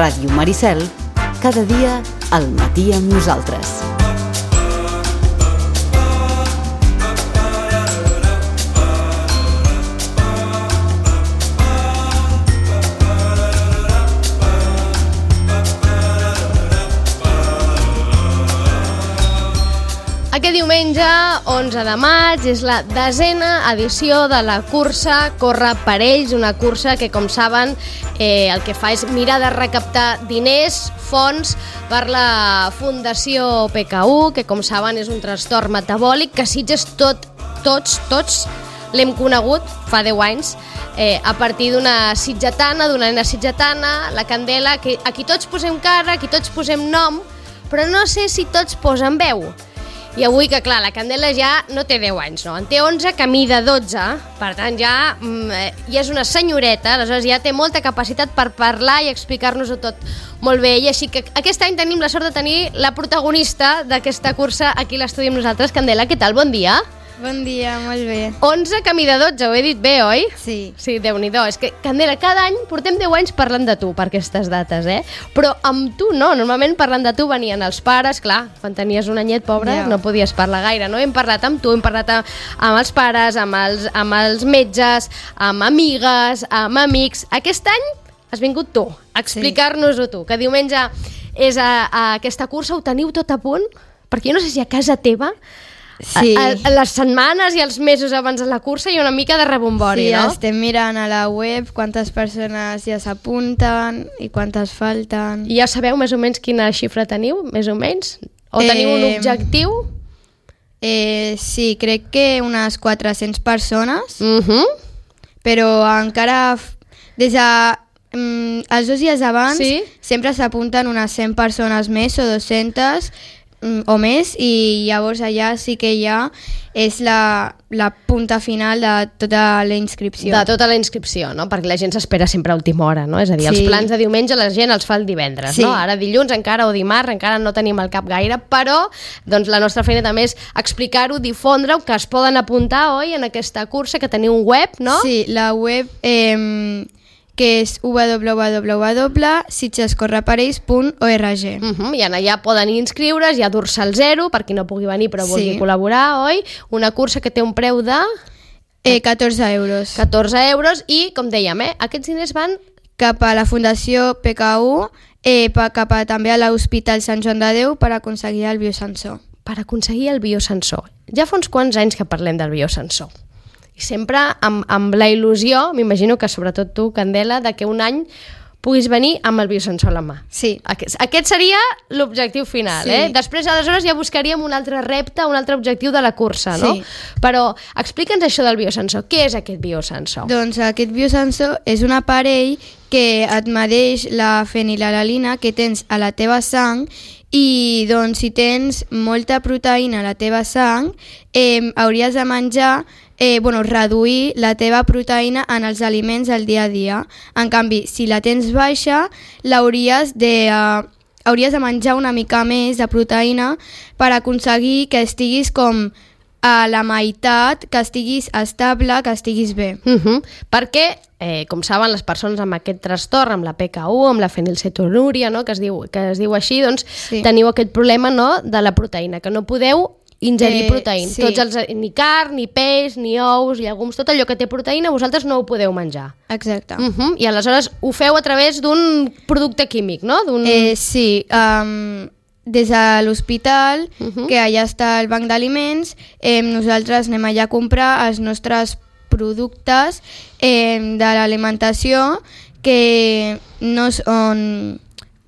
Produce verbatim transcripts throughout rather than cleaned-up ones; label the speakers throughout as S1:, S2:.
S1: Ràdio Maricel, cada dia al matí amb nosaltres.
S2: Aquest diumenge, onze de maig, és la desena edició de la cursa Corre per ells, una cursa que, com saben, eh, el que fa és mirar de recaptar diners, fons, per la Fundació P K U, que, com saben, és un trastorn metabòlic que a Sitges tot, tots, tots l'hem conegut fa deu anys, eh, a partir d'una sitgetana, d'una nena sitgetana, la Candela, que a qui tots posem cara, a qui tots posem nom, però no sé si tots posen veu. I avui, que clar, la Candela ja no té deu anys, no? En té onze, camí de dotze, per tant ja, ja és una senyoreta, aleshores ja té molta capacitat per parlar i explicar-nos-ho tot molt bé. I així que aquest any tenim la sort de tenir la protagonista d'aquesta cursa aquí a l'estudi amb nosaltres. Candela, què tal? Bon dia.
S3: Bon dia, molt bé.
S2: onze, camí de dotze, ho he dit bé, oi?
S3: Sí.
S2: Sí, Déu-n'hi-do. És que, Candela, cada any portem deu anys parlant de tu per aquestes dates, eh? Però amb tu no. Normalment parlant de tu venien els pares, clar, quan tenies un anyet, pobre, yeah. no podies parlar gaire, no? Hem parlat amb tu, hem parlat amb els pares, amb els, amb els metges, amb amigues, amb amics. Aquest any has vingut tu, a explicar-nos-ho tu, que diumenge és a, a aquesta cursa, ho teniu tot a punt? Perquè jo no sé si a casa teva...
S3: Sí.
S2: A, a les setmanes i els mesos abans de la cursa hi ha una mica de rebombori,
S3: sí,
S2: no?
S3: Sí, estem mirant a la web quantes persones ja s'apunten i quantes falten.
S2: I ja sabeu més o menys quina xifra teniu, més o menys? O teniu eh, un objectiu?
S3: Eh, sí, crec que unes quatre-centes persones,
S2: Uh-huh.
S3: però encara des de... Mm, els dos dies abans
S2: Sí?
S3: sempre s'apunten unes cent persones més o dues-centes o més, i llavors allà sí que ja és la, la punta final de tota la inscripció.
S2: De tota la inscripció, no? Perquè la gent s'espera sempre a última hora, no? És a dir, els
S3: Sí.
S2: plans de diumenge la gent els fa el divendres,
S3: Sí.
S2: no? Ara dilluns encara o dimarts encara no tenim al cap gaire, però doncs, la nostra feina també és explicar-ho, difondre-ho, que es poden apuntar, oi, en aquesta cursa, que teniu un web, no?
S3: Sí, la web eh, que és w w w punt sitgescorreperells punt org.
S2: Uh-huh. I en allà poden inscriure's, hi ha dorsal zero, per qui no pugui venir però vulgui
S3: Sí.
S2: col·laborar, oi? Una cursa que té un preu de
S3: Eh, catorze euros.
S2: catorze euros i, com dèiem, eh, aquests diners van...
S3: Cap a la Fundació P K U, eh, pa, cap a, també a l'Hospital Sant Joan de Déu per aconseguir el biosensor.
S2: per aconseguir el biosensor. Ja fa uns quants anys que parlem del biosensor. I sempre amb, amb la il·lusió, m'imagino que sobretot tu, Candela, de que un any puguis venir amb el biosensor a la mà.
S3: Sí.
S2: Aquest, aquest seria l'objectiu final,
S3: Sí.
S2: eh? Després, aleshores, ja buscaríem un altre repte, un altre objectiu de la cursa, no?
S3: Sí.
S2: Però explica'ns això del biosensor. Què és aquest biosensor?
S3: Doncs aquest biosensor és un aparell que et medeix la fenilalalina que tens a la teva sang i doncs si tens molta proteïna a la teva sang eh, hauries de menjar Eh, bueno, reduir la teva proteïna en els aliments del dia a dia. En canvi, si la tens baixa, l'hauries de, uh, hauries de menjar una mica més de proteïna per aconseguir que estiguis com a la meitat, que estiguis estable, que estiguis bé.
S2: Uh-huh. Perquè, eh, com saben, les persones amb aquest trastorn, amb la P K U, amb la fenilcetonúria, no? que, es diu, que es diu així, doncs
S3: Sí.
S2: teniu aquest problema, no?, de la proteïna, que no podeu ingerir
S3: Eh,
S2: proteïna.
S3: sí.
S2: Tots els, ni carn, ni peix, ni ous, llegums, tot allò que té proteïna, vosaltres no ho podeu menjar.
S3: Exacte.
S2: Uh-huh. I aleshores ho feu a través d'un producte químic, no? D'un...
S3: Eh, sí, um, des de l'hospital,
S2: Uh-huh.
S3: que allà està el banc d'aliments, eh, nosaltres anem allà a comprar els nostres productes eh, de l'alimentació, que no són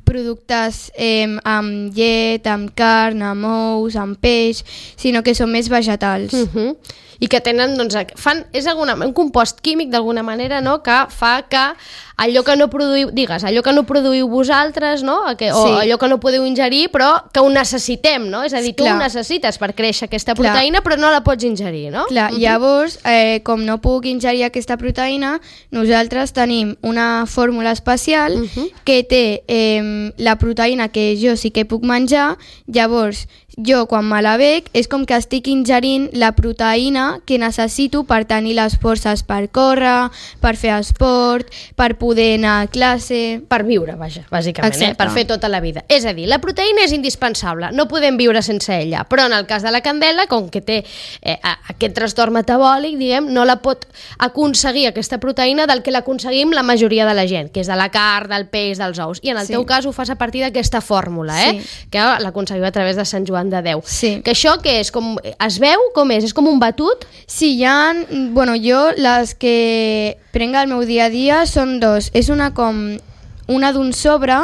S3: productes eh, amb llet, amb carn, amb ous, amb peix, sinó que són més vegetals.
S2: Uh-huh. I que tenen, doncs, fan, és alguna, un compost químic d'alguna manera, no?, que fa que allò que no produïu, digues, allò que no produïu vosaltres, no?, que, o
S3: Sí.
S2: allò que no podeu ingerir, però que ho necessitem, no? És a dir, tu
S3: Clar.
S2: ho necessites per créixer aquesta
S3: Clar.
S2: proteïna, però no la pots ingerir, no?
S3: Clar,
S2: Uh-huh.
S3: llavors, eh, com no puc ingerir aquesta proteïna, nosaltres tenim una fórmula especial
S2: Uh-huh.
S3: que té eh, eh, la proteïna que jo sí que puc menjar, llavors jo quan me la bec és com que estic ingerint la proteïna que necessito per tenir les forces per córrer, per fer esport, per poder anar a classe...
S2: Per viure, vaja, bàsicament, eh? Per fer tota la vida. És a dir, la proteïna és indispensable, no podem viure sense ella, però en el cas de la candela, com que té eh, aquest trastorn metabòlic, diguem, no la pot aconseguir aquesta proteïna del que l'aconseguim la majoria de la gent, que és de la carn, del peix, dels ous. I en el sí. teu cas ho fas a partir d'aquesta fórmula, eh? Sí. Que l'aconseguiu a través de Sant Joan de Déu.
S3: Sí.
S2: Que això què és? Com, es veu? Com és? És com un batut?
S3: Sí, hi ha... Bueno, jo les que prenc al meu dia a dia són dos. És una com... Una d'un sobre,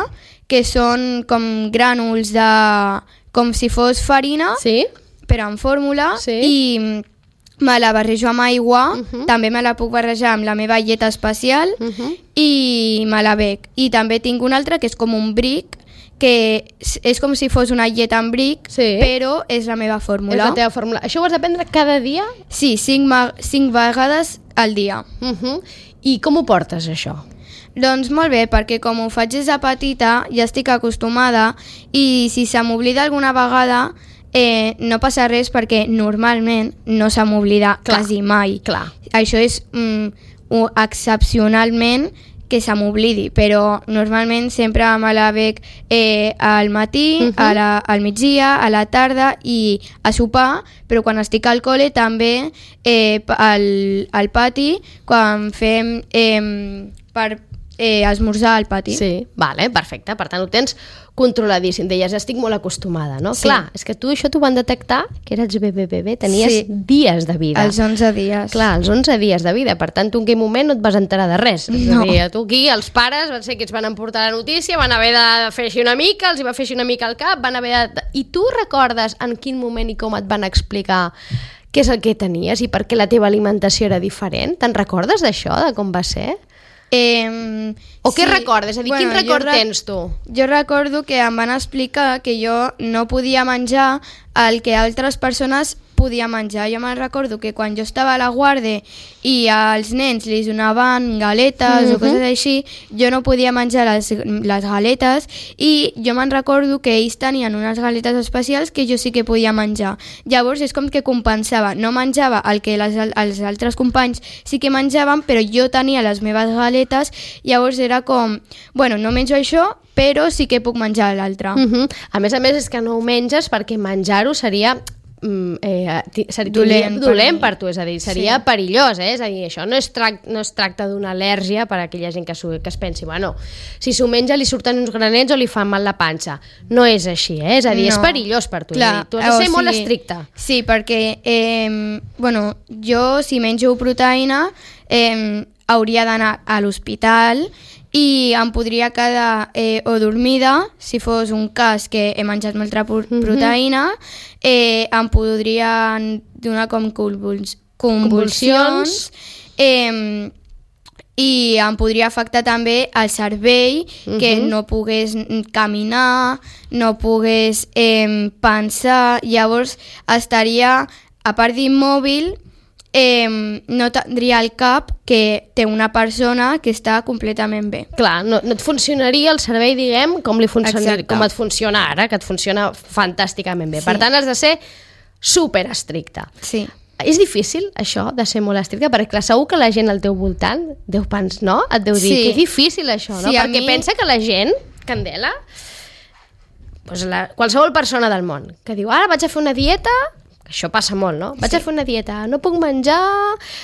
S3: que són com grànuls de... Com si fos farina,
S2: sí.
S3: però en fórmula,
S2: sí.
S3: i me la barrejo amb aigua, uh -huh. també me la puc barrejar amb la meva llet especial, uh -huh. i me la bec. I també tinc una altra que és com un bric, que és com si fos una llet en bric, sí. però és la meva fórmula.
S2: És la teva fórmula. Això ho has de prendre cada dia?
S3: Sí, cinc, cinc vegades al dia.
S2: Uh -huh. I com ho portes, això?
S3: Doncs molt bé, perquè com ho faig des de petita, ja estic acostumada, i si se m'oblida alguna vegada, eh, no passa res, perquè normalment no se m'oblida quasi mai.
S2: Clar.
S3: Això és mm, excepcionalment que se m'oblidi, però normalment sempre me la bec eh, al matí, uh -huh. a la, al migdia, a la tarda i a sopar, però quan estic al col·le també eh, al, al pati, quan fem eh, per eh, esmorzar al pati.
S2: Sí, vale, perfecte, per tant ho tens controladíssim. Deies, estic molt acostumada, no?
S3: Sí.
S2: Clar, és que tu això t'ho van detectar, que eres bebè, bebè, tenies
S3: sí.
S2: dies de vida.
S3: Els onze dies.
S2: Clar, els onze dies de vida, per tant tu en aquell moment no et vas enterar de res.
S3: No.
S2: És a dir, tu aquí, els pares van ser que ens van emportar la notícia, van haver de fer així una mica, els hi va fer així una mica al cap, van haver de... I tu recordes en quin moment i com et van explicar què és el que tenies i per què la teva alimentació era diferent? Te'n recordes d'això, de com va ser?
S3: Eh,
S2: o què sí. recordes? És a dir, bueno, quin record
S3: re
S2: tens tu?
S3: Jo recordo que em van explicar que jo no podia menjar el que altres persones podia menjar. Jo me'n recordo que quan jo estava a la guàrdia i als nens li donaven galetes mm-hmm. o coses així, jo no podia menjar les, les galetes, i jo me'n recordo que ells tenien unes galetes especials que jo sí que podia menjar. Llavors és com que compensava. No menjava el que les, els altres companys sí que menjaven, però jo tenia les meves galetes, llavors era com, bueno, no menjo això, però sí que puc menjar l'altre.
S2: Mm-hmm. A més a més és que no ho menges perquè menjar-ho seria... Eh, seria dolent, dolent per, per tu, és a dir, seria sí. perillós, eh? És a dir, això no es, trac, no es tracta d'una al·lèrgia per a aquella gent que, que es pensi, bueno, si s'ho menja li surten uns granets o li fan mal la panxa. No és així, eh? És a dir, no. és perillós per tu.
S3: Clar,
S2: dir, tu has de ser
S3: o
S2: molt
S3: sigui,
S2: estricta.
S3: Sí, perquè eh, bueno, jo si menjo proteïna eh, hauria d'anar a l'hospital i em podria quedar eh, o dormida, si fos un cas que he menjat molta proteïna, eh, em podrien donar com convuls convulsions, eh, i em podria afectar també el cervell, uh-huh. que no pogués caminar, no pogués eh, pensar, llavors estaria, a part d'immòbil, Eh, no tindria el cap que té una persona que està completament bé.
S2: Clar, no, no et funcionaria el cervell, diguem, com, li funciona, com et funciona ara, que et funciona fantàsticament bé. Sí. Per tant, has de ser super estricta.
S3: Sí.
S2: És difícil, això, de ser molt estricta? Perquè clar, segur que la gent al teu voltant deu pensar, no? Et deu dir, sí. que és difícil això, no?
S3: Sí,
S2: perquè
S3: mi...
S2: pensa que la gent, Candela, doncs la, qualsevol persona del món, que diu, ara vaig a fer una dieta... Això passa molt, no? Vaig sí. a fer una dieta, no puc menjar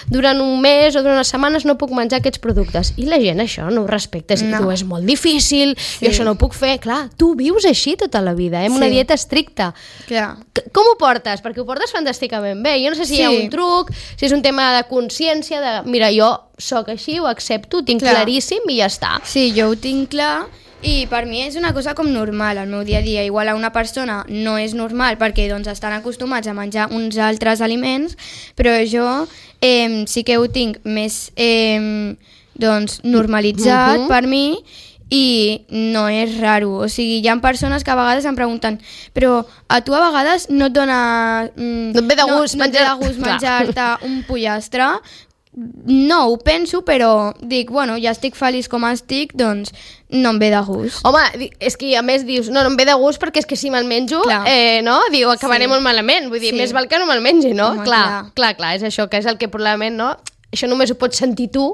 S2: durant un mes o durant unes setmanes, no puc menjar aquests productes. I la gent això no ho respecta, és, no. diu, és molt difícil, sí. jo això no ho puc fer. Clar, tu vius així tota la vida, eh? amb sí. una dieta estricta.
S3: Clar.
S2: Com ho portes? Perquè ho portes fantàsticament bé. Jo no sé si sí. hi ha un truc, si és un tema de consciència, de mira, jo sóc així, ho accepto, ho tinc clar. claríssim i ja està.
S3: Sí, jo ho tinc clar. I per mi és una cosa com normal al meu dia a dia. Igual a una persona no és normal perquè doncs, estan acostumats a menjar uns altres aliments, però jo eh, sí que ho tinc més eh, doncs, normalitzat uh-huh. per mi i no és raro. O sigui, hi ha persones que a vegades em pregunten però a tu a vegades no et dona... Mm,
S2: no et ve de gust
S3: no,
S2: menjar...
S3: no et ve de gust menjar-te un pollastre? no ho penso, però dic, bueno, ja estic feliç com estic, doncs no em ve de gust.
S2: Home, és que a més dius, no, no em ve de gust perquè és que si me'l menjo, eh, no? Diu, acabaré sí. molt malament. Vull dir, sí. més val que no me'l mengi, no? Home, clar, clar, clar, clar, és això, que és el que probablement, no? Això només ho pots sentir tu,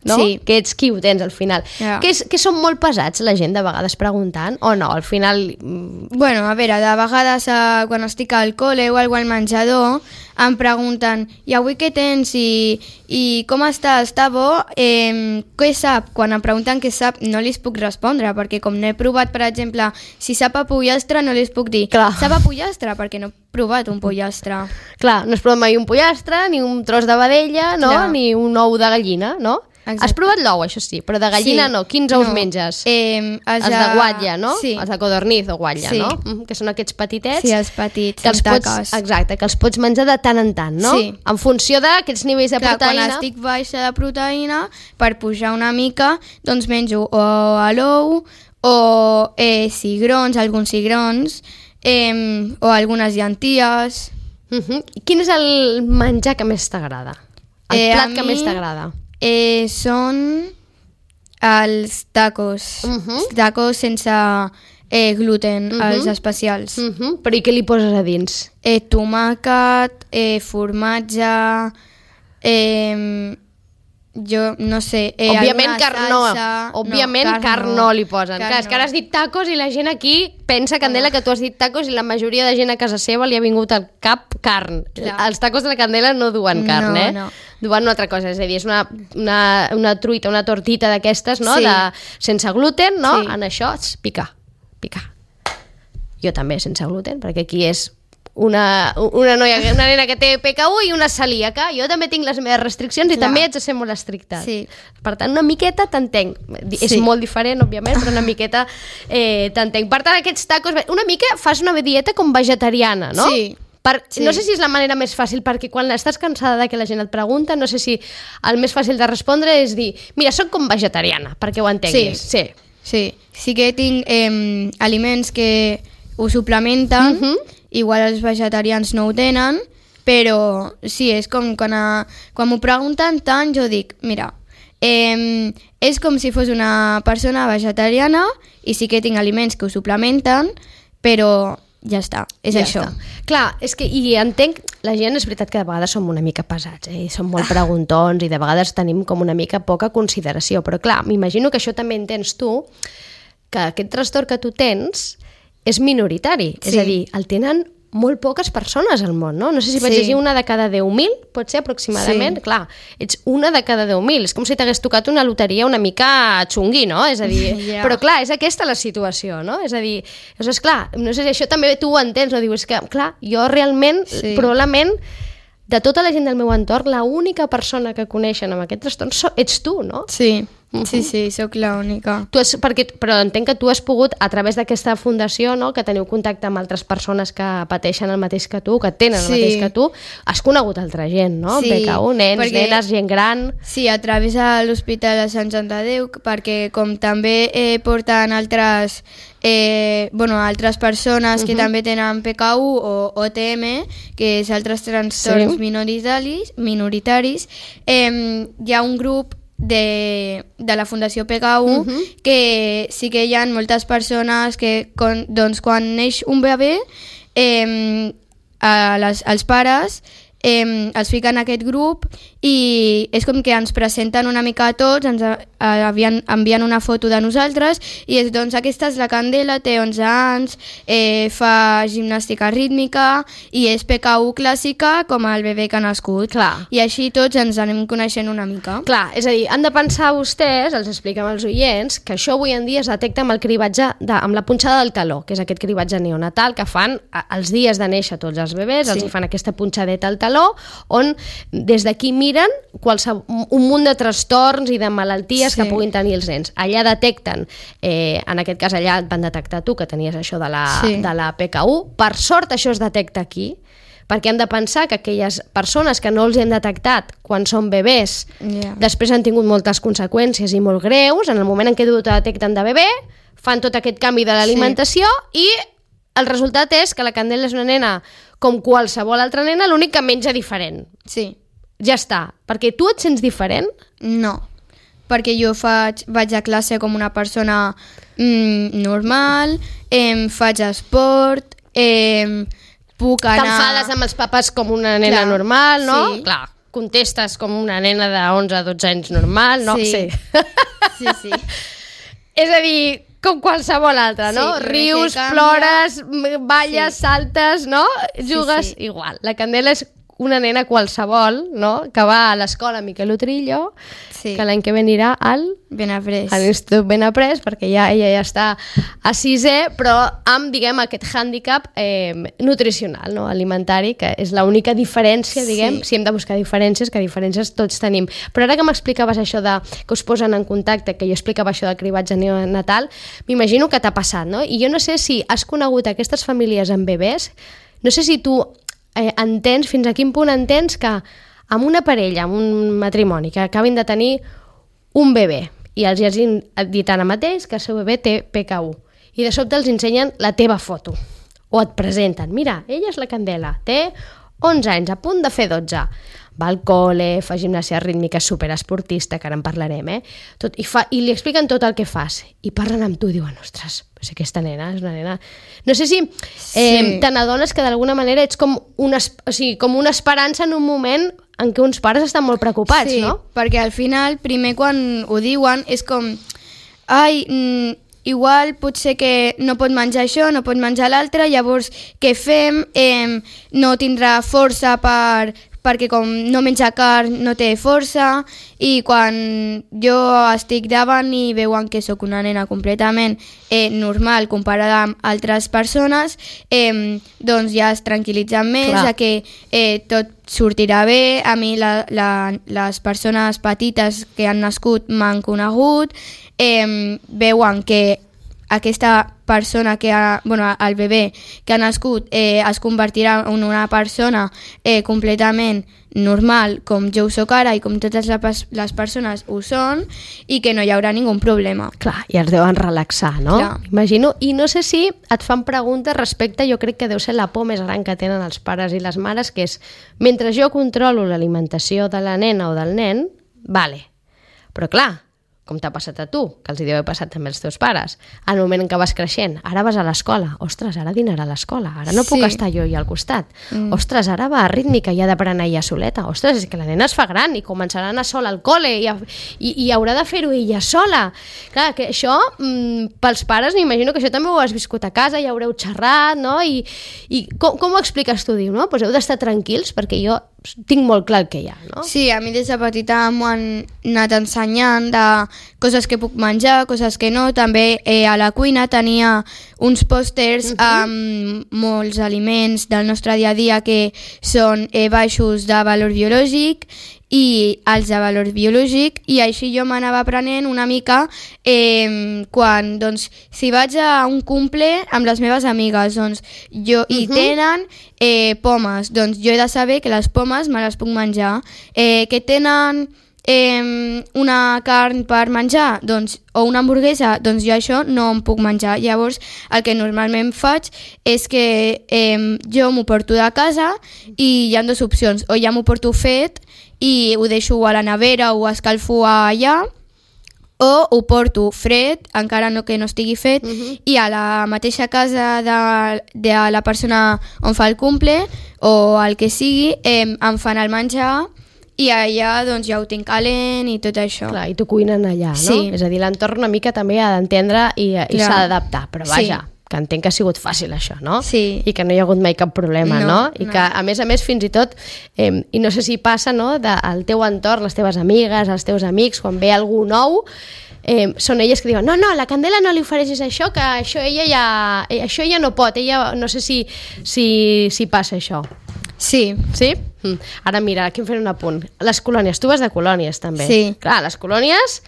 S2: no?
S3: Sí.
S2: Que ets qui ho tens al final.
S3: Yeah.
S2: Que, és, que són molt pesats la gent de vegades preguntant o no? Al final...
S3: Bueno, a veure, de vegades eh, quan estic al col·le o al menjador em pregunten, i avui què tens? I, i com està? Està bo? Eh, què sap? Quan em pregunten què sap no li puc respondre, perquè com no he provat, per exemple, si sap a pollastre no li puc dir,
S2: clar.
S3: Sap a pollastre? Perquè no he provat un pollastre.
S2: Clar, no has provat mai un pollastre, ni un tros de vedella, no? Clar. Ni un ou de gallina, no? Exacte. Has provat l'ou, això sí, però de gallina sí. no. Quins ous no. menges?
S3: Eh, els,
S2: els de guatlla, no?
S3: Sí.
S2: Els de codorniz o guatlla,
S3: sí.
S2: no? Mm, que són aquests petitets.
S3: Sí, els petits,
S2: que els
S3: amb
S2: pots,
S3: taques.
S2: exacte, que els pots menjar de tant en tant, no?
S3: Sí.
S2: En funció d'aquests nivells de
S3: Clar,
S2: proteïna.
S3: Quan estic baixa de proteïna, per pujar una mica, doncs menjo o a l'ou, o eh, cigrons, alguns cigrons, eh, o algunes llenties...
S2: Uh-huh. Quin és el menjar que més t'agrada? El
S3: eh,
S2: plat que
S3: mi,
S2: més t'agrada?
S3: Eh, són els tacos.
S2: Uh-huh.
S3: Tacos sense eh, gluten,
S2: uh-huh.
S3: els especials.
S2: Uh-huh. Però i què li poses a dins?
S3: Eh, tomàquet, eh, formatge... Eh, jo no sé, eh,
S2: òbviament carn no,
S3: salsa...
S2: òbviament
S3: no,
S2: carn no li posen.
S3: Carn
S2: Clar, és que ara has dit tacos i la gent aquí pensa, Candela, que tu has dit tacos i la majoria de gent a casa seva li ha vingut al cap carn.
S3: Clar.
S2: Els tacos de la Candela no duen carn,
S3: no,
S2: eh?
S3: No.
S2: Duen una altra cosa, és a dir, és una, una, una truita, una tortita d'aquestes, no?
S3: Sí.
S2: De, sense gluten, no?
S3: Sí.
S2: En això, picar, picar. Jo també, sense gluten, perquè aquí és una, una noia, una nena que té P K U i una celíaca. Jo també tinc les meves restriccions i
S3: Clar.
S2: també haig de ser molt estricta.
S3: Sí.
S2: Per tant, una miqueta t'entenc. És
S3: Sí.
S2: molt diferent, òbviament, però una miqueta eh, t'entenc. Per tant, aquests tacos... Una mica fas una dieta com vegetariana, no?
S3: Sí.
S2: Per,
S3: Sí.
S2: No sé si és la manera més fàcil, perquè quan estàs cansada de que la gent et pregunta, no sé si el més fàcil de respondre és dir, mira, soc com vegetariana, perquè ho entenguis.
S3: Sí. Sí. Sí que tinc eh, aliments que ho suplementen,
S2: Mhm.
S3: igual els vegetarians no ho tenen, però sí, és com quan, a, quan m'ho pregunten tant, jo dic, mira, eh, és com si fos una persona vegetariana i sí que tinc aliments que ho suplementen, però ja està, és
S2: Ja
S3: això.
S2: està. Clar, és que, i entenc, la gent és veritat que de vegades som una mica pesats, eh? I som molt preguntons i de vegades tenim com una mica poca consideració, però clar, m'imagino que això també entens tu, que aquest trastorn que tu tens és minoritari,
S3: Sí.
S2: és a dir, el tenen molt poques persones al món, no? No sé si vaig
S3: Sí.
S2: llegir una de cada deu mil, pot ser aproximadament,
S3: Sí.
S2: clar, ets una de cada deu mil, és com si t'hagués tocat una loteria una mica xungui, no? És a dir,
S3: Ja.
S2: però clar, és aquesta la situació, no? És a dir, és clar, no sé si això també tu ho entens, no? Dius que, clar, jo realment,
S3: Sí.
S2: probablement, de tota la gent del meu entorn, l'única persona que coneixen amb aquest trastorn so, ets tu, no?
S3: Sí,
S2: Mhm.
S3: sí, sí, sóc l'única.
S2: Tu has, perquè, però entenc que tu has pogut, a través d'aquesta fundació, no, que teniu contacte amb altres persones que pateixen el mateix que tu, que tenen el
S3: Sí.
S2: mateix que tu, has conegut altra gent, no?
S3: Sí,
S2: P K U, nens,
S3: perquè-
S2: nenes, gent gran...
S3: Sí, a través de l'Hospital de Sant Joan de Déu, perquè com també eh, porten altres, eh, bueno, altres persones uh -huh. que també tenen P K U o O T M, que és altres trastorns
S2: Sí.
S3: minoritaris, minoritaris eh, hi ha un grup de, de la Fundació P K U
S2: Uh-huh.
S3: que sí que hi ha moltes persones que con, doncs, quan neix un bebè eh, a les, als pares eh, els fiquen en aquest grup i és com que ens presenten una mica a tots, ens a, a, envien, envien una foto de nosaltres i és, doncs aquesta és la Candela, té onze anys, eh, fa gimnàstica rítmica i és P K U clàssica com el bebè que ha nascut.
S2: Clar.
S3: I així tots ens anem coneixent una mica.
S2: Clar, és a dir, han de pensar vostès, els expliquem als oients, que això avui en dia es detecta amb el cribatge, de, amb la punxada del taló, que és aquest cribatge neonatal que fan a, els dies de néixer tots els bebès,
S3: Sí.
S2: els hi fan aquesta punxadeta al taló, on des d'aquí miren qualsevol, un munt de trastorns i de malalties
S3: Sí.
S2: que puguin tenir els nens. Allà detecten, eh, en aquest cas allà et van detectar tu que tenies això de la,
S3: Sí.
S2: de la P K U, per sort això es detecta aquí, perquè hem de pensar que aquelles persones que no els hem detectat quan són bebès
S3: Yeah.
S2: després han tingut moltes conseqüències i molt greus, en el moment en què ho detecten de bebè, fan tot aquest canvi de l'alimentació i el resultat és que la Candela és una nena com qualsevol altra nena, l'únic que menja diferent.
S3: Sí.
S2: ja està. Perquè tu et sents diferent?
S3: No, perquè jo faig, vaig a classe com una persona mm, normal, eh, faig esport, eh, puc anar...
S2: T'enfades amb els papes com una nena Clar, normal, no?
S3: Sí.
S2: Clar, contestes com una nena de onze a dotze anys normal, no?
S3: Sí.
S2: Sí,
S3: sí. sí.
S2: És a dir, com qualsevol altra, no?
S3: Sí,
S2: Rius,
S3: canvia...
S2: plores, balles,
S3: sí.
S2: saltes, no? Jugues
S3: sí, sí.
S2: igual. La Candela és una nena qualsevol, no? Que va a l'escola Miquel Utrillo,
S3: sí.
S2: que l'any que ve anirà al...
S3: Benaprés.
S2: A l'Institut Benaprés, perquè ja, ella ja està a sisè, però amb, diguem, aquest hàndicap eh, nutricional, no? Alimentari, que és l'única diferència, diguem, sí. si hem de buscar diferències, que diferències tots tenim. Però ara que m'explicaves això de que us posen en contacte, que jo explicava això del cribatge neonatal, m'imagino que t'ha passat, no? I jo no sé si has conegut aquestes famílies amb bebès, no sé si tu eh, entens, fins a quin punt entens que amb una parella, amb un matrimoni, que acabin de tenir un bebè, i els hagin dit ara mateix que el seu bebè té P K u, i de sobte els ensenyen la teva foto, o et presenten, mira, ella és la Candela, té onze anys, a punt de fer dotze, va al col·le, fa gimnàsia rítmica, superesportista, que ara en parlarem, eh? Tot, i, fa, i li expliquen tot el que fas, i parlen amb tu i diuen, ostres, pues aquesta nena és una nena... No sé si eh, sí. te n'adones que d'alguna manera ets com una, o sigui, com una esperança en un moment en què uns pares estan molt preocupats,
S3: sí,
S2: no?
S3: Sí, perquè al final, primer quan ho diuen, és com... Ai, mm, igual potser que no pot menjar això, no pot menjar l'altre, llavors què fem? Eh, no tindrà força per... perquè com no menja carn no té força, i quan jo estic davant i veuen que sóc una nena completament eh, normal comparada amb altres persones, eh, doncs ja es tranquil·litzen més,
S2: Clar.
S3: a que eh, tot sortirà bé. A mi la, la, les persones petites que han nascut m'han conegut, eh, veuen que aquesta persona que ha, bueno, el bebè que ha nascut eh, es convertirà en una persona eh, completament normal, com jo ho soc ara i com totes les persones ho són, i que no hi haurà ningú problema.
S2: Clar, i els deuen relaxar, no?
S3: Clar.
S2: Imagino. I no sé si et fan preguntes respecte, jo crec que deu ser la por més gran que tenen els pares i les mares, que és, mentre jo controlo l'alimentació de la nena o del nen, vale, però clar, com t'ha passat a tu, que els hi deu haver passat també als teus pares, al moment en què vas creixent, ara vas a l'escola, ostres, ara dinarà a l'escola, ara no puc
S3: Sí.
S2: estar jo i al costat,
S3: Mm.
S2: ostres, ara va a rítmica i ha d'aprendre ella soleta, ostres, és que la nena es fa gran i començarà a anar sola al col·le i, a, i, i haurà de fer-ho ella sola. Clar, que això, mm, pels pares, m'imagino que això també ho has viscut a casa, ja haureu xerrat, no? I, i com, com ho expliques tu? Diu, no? Pues heu d'estar tranquils perquè jo tinc molt clar el que hi ha, no?
S3: Sí, a mi des de petita m'ho han anat ensenyant de coses que puc menjar, coses que no. També eh, a la cuina tenia uns pòsters uh-huh. amb molts aliments del nostre dia a dia que són eh, baixos de valor biològic i alts de valor biològic, i així jo m'anava aprenent una mica eh, quan, doncs, si vaig a un cumple amb les meves amigues, doncs, jo, uh-huh. i tenen eh, pomes, doncs jo he de saber que les pomes me les puc menjar, eh, que tenen eh, una carn per menjar, doncs, o una hamburguesa, doncs jo això no em puc menjar. Llavors el que normalment faig és que eh, jo m'ho porto de casa i hi ha dues opcions, o ja m'ho porto fet i ho deixo a la nevera o ho escalfo allà, o ho porto fred, encara no que no estigui fet, uh-huh. i a la mateixa casa de, de la persona on fa el cumple o el que sigui, eh, em fan el menjar i allà doncs ja ho tinc calent i tot això.
S2: Clar, i t'ho cuinen allà, no?
S3: Sí.
S2: És a dir, l'entorn una mica també ha d'entendre i, i s'ha d'adaptar, però vaja,
S3: Sí.
S2: que entenc que ha sigut fàcil això, no?
S3: Sí.
S2: I que no hi ha hagut mai cap problema, no?
S3: No,
S2: I
S3: no.
S2: que, a més a més, fins i tot, eh, i no sé si passa, no?, del teu entorn, les teves amigues, els teus amics, quan ve algú nou, eh, són elles que diuen, no, no, la Candela no li ofereixis això, que això ella ja, eh, això ella no pot, ella no sé si, si, si passa això.
S3: Sí.
S2: Sí? Mm. Ara mira, aquí em fem un apunt. Les colònies, tu vas de colònies també.
S3: Sí.
S2: Clar, les colònies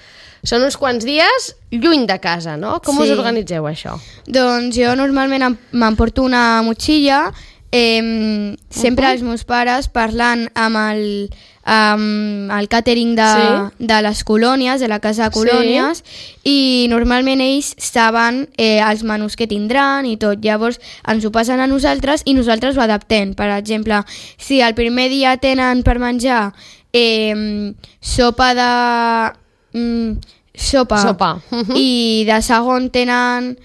S2: són uns quants dies lluny de casa, no? Com
S3: Sí.
S2: us organitzeu això?
S3: Doncs jo normalment em- m'emporto una motxilla, eh, sempre
S2: Uh-huh.
S3: els meus pares parlant amb el, amb el càtering de,
S2: Sí.
S3: de les colònies, de la casa de colònies, i normalment ells saben eh, els menús que tindran i tot. Llavors ens ho passen a nosaltres i nosaltres ho adaptem. Per exemple, si el primer dia tenen per menjar eh, sopa de... Mm, sopa,
S2: Sopa. Mhm.
S3: i de segon tenen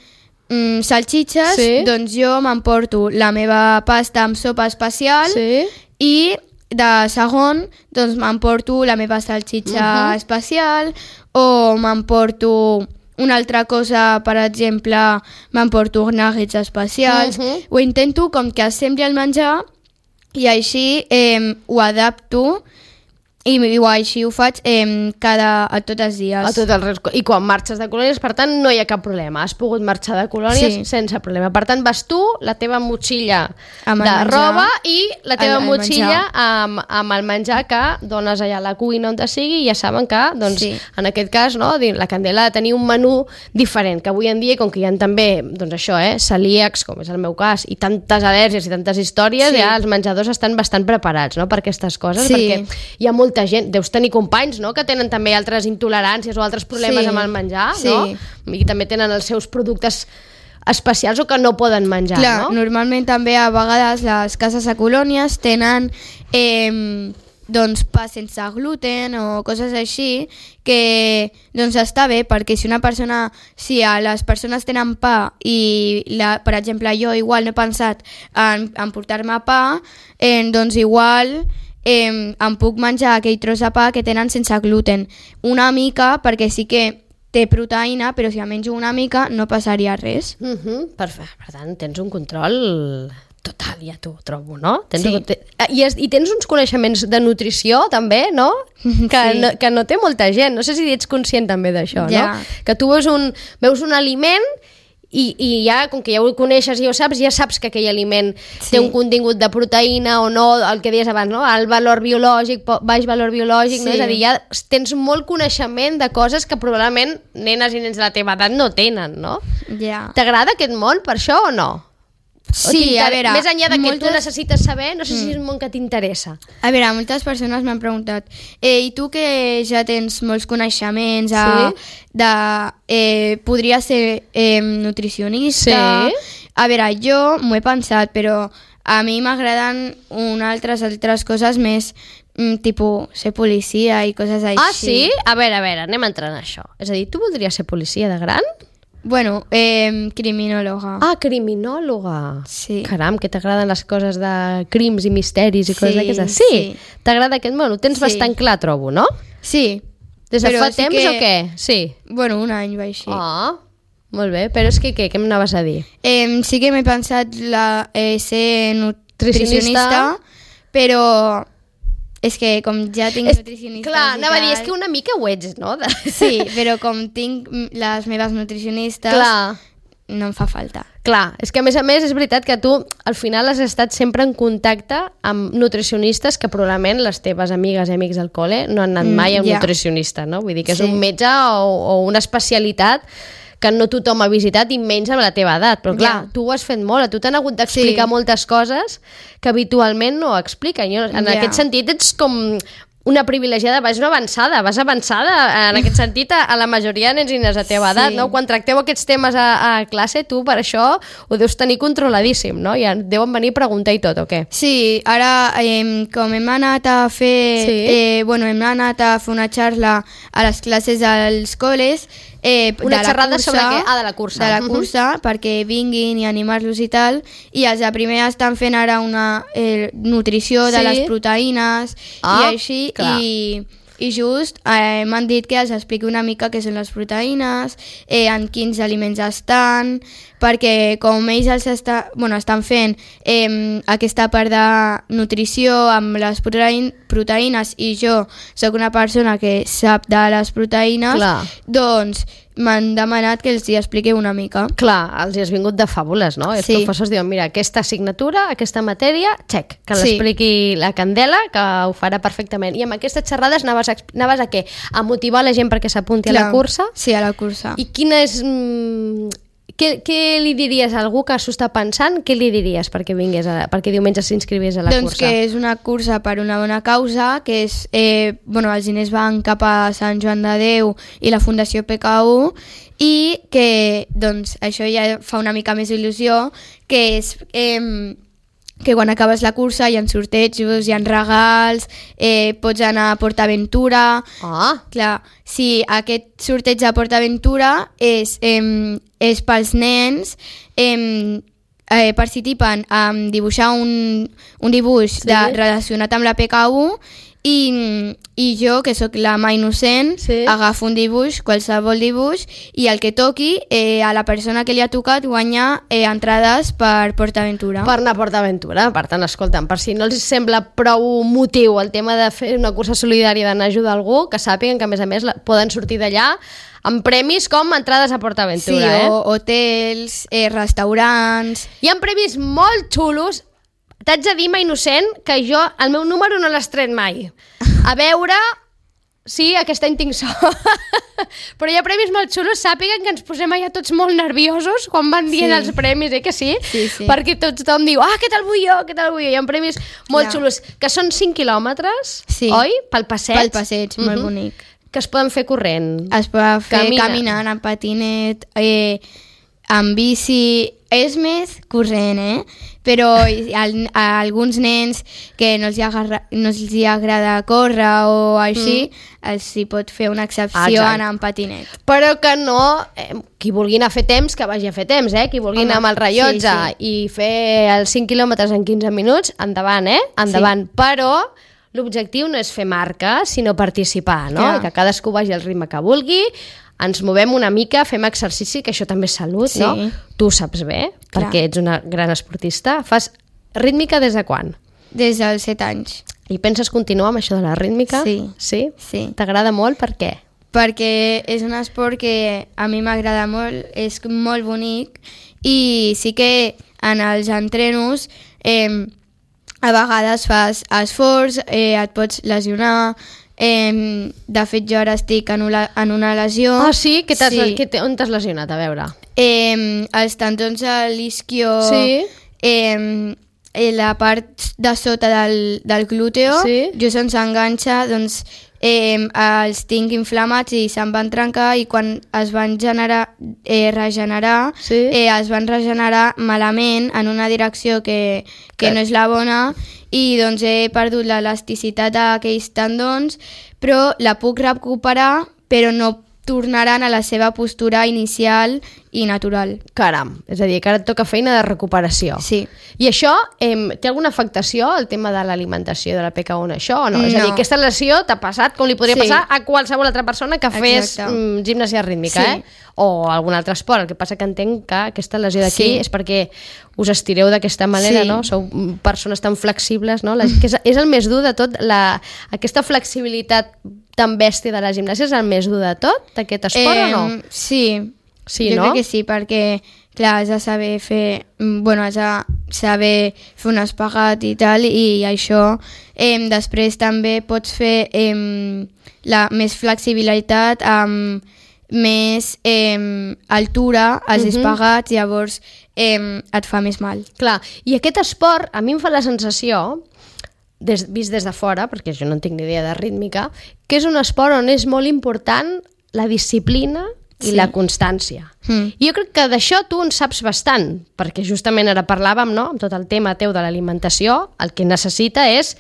S3: mm, salxitxes,
S2: Sí.
S3: doncs jo m'emporto la meva pasta amb sopa especial
S2: Sí.
S3: i de segon doncs m'emporto la meva salxitxa
S2: Mhm.
S3: especial, o m'emporto una altra cosa, per exemple, m'emporto nuggets especials.
S2: Mhm.
S3: Ho intento com que assembli el menjar i així eh, ho adapto i, i així ho faig eh, cada, a tots els dies.
S2: A tot el res... I quan marxes de colònies, per tant, no hi ha cap problema. Has pogut marxar de colònies
S3: Sí.
S2: sense problema. Per tant, vas tu, la teva motxilla
S3: Amb el
S2: de
S3: menjar.
S2: roba i la teva
S3: El- el
S2: motxilla
S3: menjar.
S2: amb, amb el menjar que dones allà a la cuina on te sigui, i ja saben que, doncs,
S3: Sí.
S2: en aquest cas, no, la Candela ha de tenir un menú diferent, que avui en dia, com que hi ha també, doncs això, eh, celíacs, com és el meu cas, i tantes al·lèrgies i tantes històries,
S3: Sí.
S2: ja els menjadors estan bastant preparats, no?, per aquestes coses,
S3: Sí.
S2: perquè hi ha molta gent, deus tenir companys, no?, que tenen també altres intoleràncies o altres problemes
S3: Sí.
S2: amb el menjar,
S3: Sí.
S2: no? I també tenen els seus productes especials o que no poden menjar,
S3: Clar,
S2: no?
S3: normalment també a vegades les cases a colònies tenen eh, doncs pa sense gluten o coses així, que doncs està bé, perquè si una persona, si a les persones tenen pa i la, per exemple jo igual no he pensat en, en portar-me pa, eh, doncs igual eh, em puc menjar aquell tros de pa que tenen sense gluten una mica, perquè sí que té proteïna, però si em menjo una mica no passaria res.
S2: Uh -huh, perfecte. Per tant, tens un control total, ja t'ho trobo, no? Tens
S3: Sí.
S2: un, te, i, es, I tens uns coneixements de nutrició, també, no? Que,
S3: Sí.
S2: no? que no té molta gent. No sé si ets conscient també d'això,
S3: Ja.
S2: no? Que tu veus un, veus un aliment i, i ja, com que ja ho coneixes i ho saps, ja saps que aquell aliment
S3: Sí.
S2: té un contingut de proteïna o no, el que deies abans, no? El valor biològic, po- baix valor biològic, no?
S3: Sí.
S2: És a dir, ja tens molt coneixement de coses que probablement nenes i nens de la teva edat no tenen, no?
S3: Ja.
S2: T'agrada aquest món per això o no? O
S3: Sí,
S2: t'inter-
S3: a veure...
S2: Més enllà de que
S3: moltes...
S2: tu necessites saber, no sé si és un món que t'interessa.
S3: A veure, moltes persones m'han preguntat eh, i tu que ja tens molts coneixements a,
S2: Sí.
S3: de, eh, podria ser eh, nutricionista?
S2: Sí.
S3: A veure, jo m'ho he pensat, però a mi m'agraden unes altres altres coses més, mm, tipus ser policia i coses així.
S2: Ah, sí? A veure, a veure, anem entrant en això. És a dir, tu voldries ser policia de gran?
S3: Bueno, eh, criminòloga.
S2: Ah, criminòloga.
S3: Sí.
S2: Caram, que t'agraden les coses de crims i misteris i coses
S3: Sí,
S2: d'aquestes. Sí,
S3: sí.
S2: t'agrada aquest món, ho tens
S3: Sí.
S2: bastant clar, trobo, no?
S3: Sí.
S2: Des de
S3: Però
S2: fa
S3: sí
S2: temps
S3: que-
S2: o què? Sí.
S3: Bueno, un any va així.
S2: Ah, molt bé, però és que què, què m'anaves a dir?
S3: Eh, sí que m'he pensat la, eh, ser
S2: Nutricionista.
S3: nutricionista, però és que com ja tinc
S2: És,
S3: nutricionistes
S2: clar,
S3: i
S2: anava a dir,
S3: tal-
S2: és que una mica ho ets, no? De...
S3: Sí, però com tinc mm, les meves nutricionistes,
S2: Clar.
S3: no em fa falta.
S2: Clar, és que a més a més és veritat que tu al final has estat sempre en contacte amb nutricionistes que probablement les teves amigues i amics del col·le no han anat
S3: Mm,
S2: mai a un
S3: ja.
S2: nutricionista, no? Vull dir que és
S3: Sí.
S2: un metge o, o una especialitat que no tothom ha visitat i menys amb la teva edat. Però clar,
S3: Ja.
S2: tu ho has fet molt, a tu t'han hagut d'explicar
S3: Sí.
S2: moltes coses que habitualment no expliquen. Jo, en
S3: Ja.
S2: aquest sentit ets com una privilegiada, vas una avançada, vas avançada en aquest sentit a, a la majoria de nens i nenes de teva
S3: Sí.
S2: edat, no? Quan tracteu aquests temes a, a classe, tu per això ho deus tenir controladíssim, no? Ja deuen venir a preguntar i tot, o què?
S3: Sí, ara eh, com hem anat a fer,
S2: Sí.
S3: eh, bueno, hem anat a fer una xarxa a les classes dels col·les, eh,
S2: Una
S3: de la
S2: xerrada
S3: cursa,
S2: sobre què? Ah, de la cursa.
S3: De la
S2: Mhm.
S3: cursa, perquè vinguin i animar-los i tal, i els de primer estan fent ara una eh, nutrició de
S2: Sí.
S3: les proteïnes
S2: Ah,
S3: i així,
S2: clar.
S3: i, i just eh, m'han dit que els expliqui una mica què són les proteïnes, eh, en quins aliments estan, perquè com ells els està, bueno, estan fent eh, aquesta part de nutrició amb les proteïn, proteïnes i jo sóc una persona que sap de les proteïnes,
S2: Clar.
S3: doncs m'han demanat que els hi expliqui una mica.
S2: Clar, els hi has vingut de fàbules, no? Els
S3: Sí.
S2: professors diuen, mira, aquesta assignatura, aquesta matèria, xec, que
S3: Sí.
S2: l'expliqui la Candela, que ho farà perfectament. I amb aquestes xerrades anaves a, exp- anaves a què? A motivar la gent perquè s'apunti a la
S3: Clar,
S2: cursa?
S3: Sí, a la cursa.
S2: I quina és... Mm, què, què li diries a algú que s'ho està pensant? Què li diries perquè vingués a, perquè diumenge s'inscrivís a la
S3: doncs
S2: cursa?
S3: Doncs que és una cursa per una bona causa, que és, eh, bueno, els diners van cap a Sant Joan de Déu i la Fundació P K U, i que doncs, això ja fa una mica més il·lusió, que és eh, que quan acabes la cursa hi ha sortejos, hi ha regals, eh, pots anar a PortAventura.
S2: Ah.
S3: Clar, si aquest sorteig a PortAventura és, eh, és pels nens, eh, eh, participen a dibuixar un, un dibuix
S2: Sí.
S3: de, relacionat amb la P K U, i, i jo, que sóc la mà innocent,
S2: Sí.
S3: agafo un dibuix, qualsevol dibuix, i el que toqui, eh, a la persona que li ha tocat guanya eh, entrades per PortAventura.
S2: Per anar a PortAventura. Per tant, escolta'm, per si no els sembla prou motiu el tema de fer una cursa solidària d'anar a ajudar algú, que sàpiguen que, a més a més, la, poden sortir d'allà amb premis com entrades a
S3: Sí,
S2: PortAventura. eh?
S3: o hotels, eh, restaurants...
S2: Hi ha premis molt xulos. T'haig de dir, ma innocent, que jo el meu número no l'has tret mai. A veure... Sí, aquest any tinc sort. Però hi ha premis molt xulos, sàpiguen que ens posem allà tots molt nerviosos quan van dient
S3: Sí.
S2: els premis, eh que sí?
S3: Sí, sí.
S2: Perquè tothom diu, ah, què tal vull jo, què tal vull jo. Hi ha premis molt
S3: Clar.
S2: xulos, que són cinc quilòmetres,
S3: Sí.
S2: oi? Pel passeig.
S3: Pel passeig, molt
S2: Mhm.
S3: bonic.
S2: Que es poden fer corrent.
S3: Es pot fer
S2: Camina.
S3: caminant, en patinet, eh, amb bici... És més corrent, eh? Però a, a alguns nens que no els, agarra, no els agrada córrer o així, mm. els hi pot fer una excepció
S2: Exacte.
S3: anar amb patinet.
S2: Però que no, eh, qui vulgui anar a fer temps, que vagi a fer temps, eh? Qui vulgui
S3: Home,
S2: anar amb el rellotge
S3: sí,
S2: i fer els cinc quilòmetres en quinze minuts, endavant, eh? Endavant. Sí. Però l'objectiu no és fer marca, sinó participar, no?
S3: Clar.
S2: I que cadascú vagi al ritme que vulgui, ens movem una mica, fem exercici, que això també és salut,
S3: Sí.
S2: no? Tu ho saps bé,
S3: Clar.
S2: perquè ets una gran esportista. Fas rítmica des de quan?
S3: Des dels set anys.
S2: I penses continuar amb això de la rítmica?
S3: Sí.
S2: Sí?
S3: Sí.
S2: T'agrada molt? Per què?
S3: Perquè és un esport que a mi m'agrada molt, és molt bonic, i sí que en els entrenos eh, a vegades fas esforç, eh, et pots lesionar. Eh, de fet, jo ara estic en una, en una lesió.
S2: Ah, sí? Que t'has,
S3: Sí.
S2: que te, on t'has lesionat? A veure.
S3: Eh, els tendons a l'isquio,
S2: Sí.
S3: eh, eh, la part de sota del, del glúteo,
S2: Sí.
S3: jo se'ns enganxa, doncs eh, els tinc inflamats i se'n van trencar, i quan es van generar, eh, regenerar,
S2: Sí.
S3: eh, es van regenerar malament en una direcció que, que
S2: Que-
S3: no és la bona, i doncs he perdut l'elasticitat d'aquells tendons, però la puc recuperar, però no tornaran a la seva postura inicial i natural.
S2: Caram, és a dir, que ara et toca feina de recuperació.
S3: Sí.
S2: I això, eh, té alguna afectació, el tema de l'alimentació de la P K U en això, o no? És a dir,
S3: No.
S2: aquesta lesió t'ha passat com li podria
S3: Sí.
S2: passar a qualsevol altra persona que fes
S3: Exacte.
S2: mm, gimnasia rítmica,
S3: Sí.
S2: eh? O algun altre esport. El que passa que entenc que aquesta lesió d'aquí
S3: Sí.
S2: és perquè us estireu d'aquesta manera,
S3: Sí.
S2: no? Sou mm, persones tan flexibles, no? La, que és, és el més dur de tot, la, aquesta flexibilitat tan bèstia de la gimnàsia és el més dur de tot, d'aquest esport o no?
S3: Sí.
S2: Sí,
S3: jo
S2: no?
S3: crec que sí, perquè clar, has de saber fer, mm, bueno, has de saber fer un espagat i tal, i això eh, després també pots fer eh, la més flexibilitat amb més eh, altura als
S2: Mhm.
S3: espagats, llavors eh, et fa més mal.
S2: Clar, i aquest esport a mi em fa la sensació, des, vist des de fora, perquè jo no en tinc ni idea de rítmica, que és un esport on és molt important la disciplina i
S3: Sí.
S2: la constància.
S3: Mm.
S2: I jo crec que d'això tu en saps bastant, perquè justament ara parlàvem, no?, amb tot el tema teu de l'alimentació, el que necessita és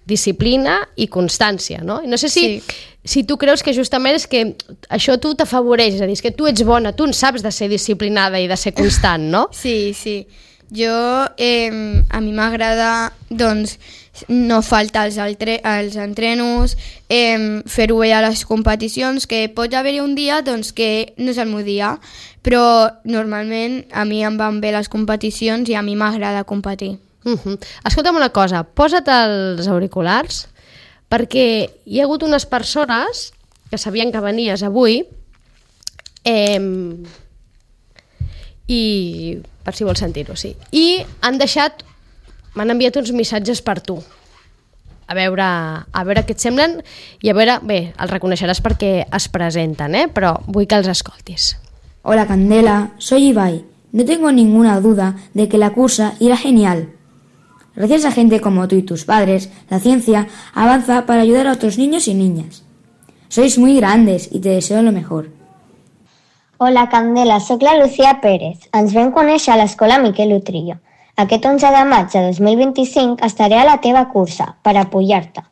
S2: disciplina i constància, no? I no sé si,
S3: Sí.
S2: si tu creus que justament és que això a tu t'afavoreix, és a dir, és que tu ets bona, tu en saps de ser disciplinada i de ser constant, no?
S3: Sí, sí. Jo, eh, a mi m'agrada, doncs, no faltar als, altre, als entrenos, eh, fer-ho bé a les competicions, que pot haver-hi un dia doncs, que no és el meu dia, però normalment a mi em van bé les competicions i a mi m'agrada competir.
S2: Uh -huh. Escolta'm una cosa, posa't els auriculars, perquè hi ha hagut unes persones que sabien que venies avui, eh, i per si vols sentir-ho, sí, i han deixat, m'han enviat uns missatges per tu, a veure, a veure què et semblen, i a veure, bé, els reconeixeràs perquè es presenten, eh? Però vull que els escoltis.
S4: Hola Candela, soy Ibai. No tengo ninguna duda de que la cursa irá genial. Gracias a gente como tú y tus padres, la ciencia avanza para ayudar a otros niños y niñas. Sois muy grandes y te deseo lo mejor.
S5: Hola Candela, soc la Lucía Pérez. Ens vam conèixer a l'Escola Miquel Utrillo. Aquest onze de maig de dos mil vint-i-cinc estaré a la teva cursa per apoyar-te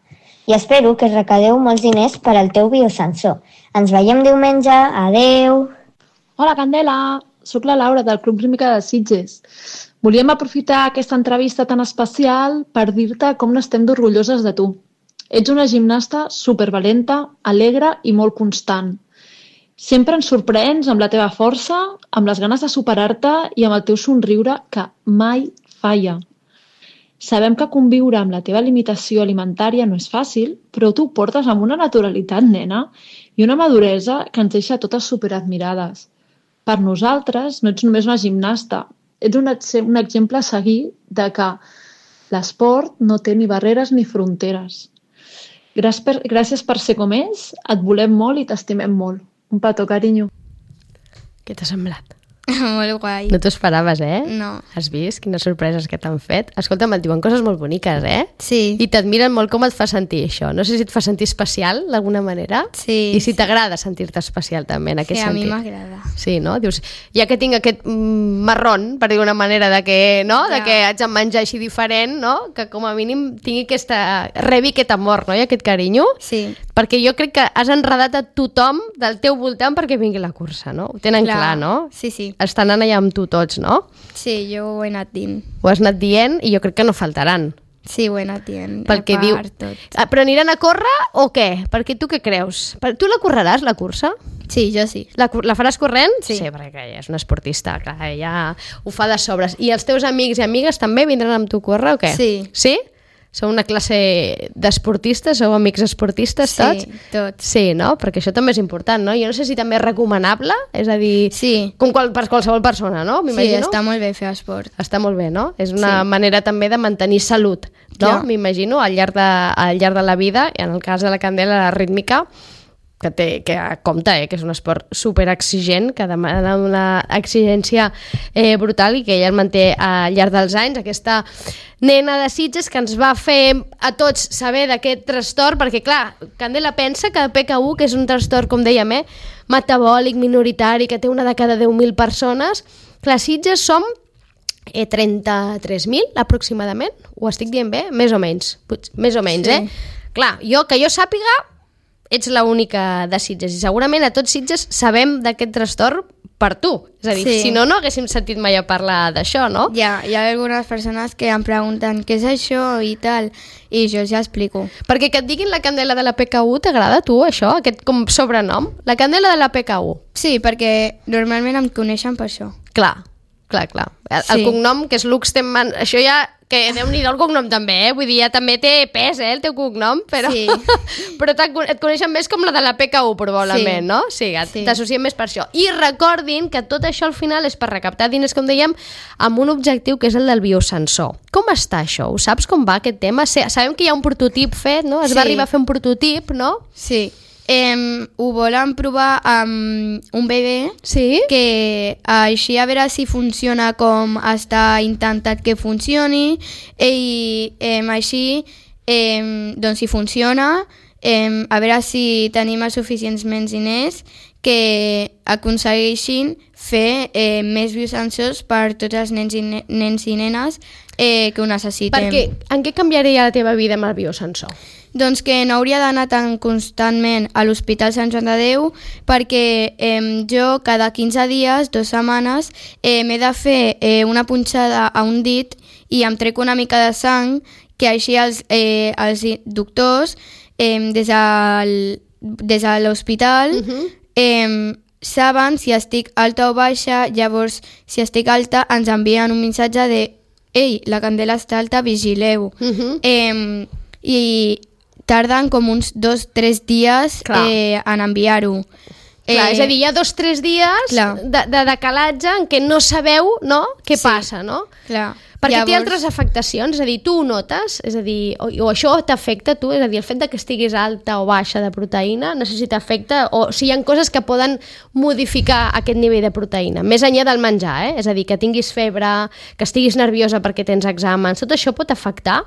S5: i espero que recadeu molts diners per al teu biosensor. Ens veiem diumenge. Adeu!
S6: Hola Candela, sóc la Laura del Club Rítmica de Sitges. Volíem aprofitar aquesta entrevista tan especial per dir-te com n'estem d'orgulloses de tu. Ets una gimnasta supervalenta, alegre i molt constant. Sempre ens sorprens amb la teva força, amb les ganes de superar-te i amb el teu somriure que mai falla. Sabem que conviure amb la teva limitació alimentària no és fàcil, però tu ho portes amb una naturalitat, nena, i una maduresa que ens deixa totes superadmirades. Per nosaltres no ets només una gimnasta, ets un, un exemple a seguir de que l'esport no té ni barreres ni fronteres. Gràcies per, gràcies per ser com és, et volem molt i t'estimem molt. Un petó, carinyo.
S2: Què t'ha semblat?
S3: Molt guai.
S2: No t'ho esperaves, eh?
S3: No.
S2: Has vist quines sorpreses que t'han fet? Escolta'm, et diuen coses molt boniques, eh?
S3: Sí.
S2: I t'admiren molt com et fa sentir això. No sé si et fa sentir especial, d'alguna manera.
S3: Sí.
S2: I si t'agrada sentir-te especial, també, en aquest
S3: sí,
S2: sentit.
S3: Sí, a mi m'agrada.
S2: Sí, no? Dius, ja que tinc aquest mm, marrón, per dir una manera, de que, no?
S3: Ja.
S2: De que haig de menjar així diferent, no? Que com a mínim tingui aquesta... rebi aquest amor, no? I aquest carinyo.
S3: Sí.
S2: Perquè jo crec que has enredat a tothom del teu voltant perquè vingui la cursa, no? Ho tenen clar, clar no?
S3: Sí, sí.
S2: Estan anant allà amb tu tots, no?
S3: Sí, jo ho he anat dient.
S2: Ho has anat dient i jo crec que no faltaran.
S3: Sí, ho he anat dient.
S2: Perquè diu...
S3: tot.
S2: Ah, però aniran a córrer o què? Perquè tu què creus? Tu la correràs, la cursa?
S3: Sí, jo sí.
S2: La, la faràs corrent?
S3: Sí.
S2: Sí, perquè ella és una esportista, clar, ella ho fa de sobres. I els teus amics i amigues també vindran amb tu a córrer o què?
S3: Sí.
S2: Sí? Sou una classe d'esportistes? Sou amics esportistes tots?
S3: Sí, tots.
S2: Sí, no? Perquè això també és important, no? Jo no sé si també és recomanable, és a dir,
S3: sí.
S2: com qual, per qualsevol persona, no?
S3: Sí, està molt bé fer esport.
S2: Està molt bé, no? És una
S3: sí.
S2: manera també de mantenir salut, no?
S3: Ja.
S2: M'imagino, al, llarg de, al llarg de la vida, i en el cas de la Candela, la rítmica, que té, que compta, eh, que és un esport super exigent, que demana una exigència eh, brutal i que ella el manté al llarg dels anys, aquesta nena de Sitges que ens va fer a tots saber d'aquest trastorn, perquè clar, Candela pensa que P K U, que és un trastorn, com dèiem, eh, metabòlic, minoritari, que té una de cada deu mil persones, clar, Sitges som eh, trenta-tres mil aproximadament, ho estic dient bé? Més o menys, més o menys, sí. eh? Clar, jo, que jo sàpiga, ets l'única de Sitges i segurament a tots Sitges sabem d'aquest trastorn per tu. És a dir, sí. si no, no haguéssim sentit mai a parlar d'això, no?
S3: Ja, hi ha algunes persones que em pregunten què és això i tal, i jo ja explico.
S2: Perquè que et diguin la Candela de la P K U, t'agrada a tu això, aquest com sobrenom? La Candela de la P K U.
S3: Sí, perquè normalment em coneixen per això.
S2: Clar, clar, clar. El,
S3: sí.
S2: el cognom, que és Luxtenman, això ja... que déu-n'hi-do el cognom també, eh? Vull dir, ja també té pes, eh, el teu cognom, però,
S3: sí.
S2: però et coneixen més com la de la P K U, probablement,
S3: sí.
S2: no? Sí,
S3: sí.
S2: t'associem més per això. I recordin que tot això al final és per recaptar diners, com dèiem, amb un objectiu que és el del biosensor. Com està això? Ho saps com va aquest tema? Sabem que hi ha un prototip fet, no? Es
S3: sí.
S2: va arribar a fer un prototip, no?
S3: Sí. Eh, ho volen provar amb un bebè,
S2: sí?
S3: que així a veure si funciona com està intentat que funcioni, i eh, així eh, doncs si funciona, eh, a veure si tenim els suficients diners que aconsegueixin fer eh, més biosensors per tots els nens i, ne nens i nenes eh, que ho necessitem.
S2: Perquè en què canviaria la teva vida amb el biosensor?
S3: Doncs que no hauria d'anar tan constantment a l'Hospital Sant Joan de Déu perquè eh, jo cada quinze dies, dues setmanes, eh, m'he de fer eh, una punxada a un dit i em trec una mica de sang que així els, eh, els doctors eh, des, del, des de l'hospital uh-huh. eh, saben si estic alta o baixa, llavors si estic alta ens envien un missatge de ei, la Candela està alta, vigileu. Uh-huh. Eh, I tarden com uns dos o tres dies eh, en enviar-ho.
S2: Clar,
S3: eh,
S2: és a dir, hi ha dos o tres dies de, de decalatge en què no sabeu, no?, què sí. passa, no?
S3: Clar.
S2: Perquè
S3: Llavors...
S2: té altres afectacions, és a dir, tu ho notes, és a dir, o, o això t'afecta a tu, és a dir, el fet de que estiguis alta o baixa de proteïna, no sé si t'afecta, o si hi ha coses que poden modificar aquest nivell de proteïna, més enllà del menjar, eh? És a dir, que tinguis febre, que estiguis nerviosa perquè tens exàmens, tot això pot afectar?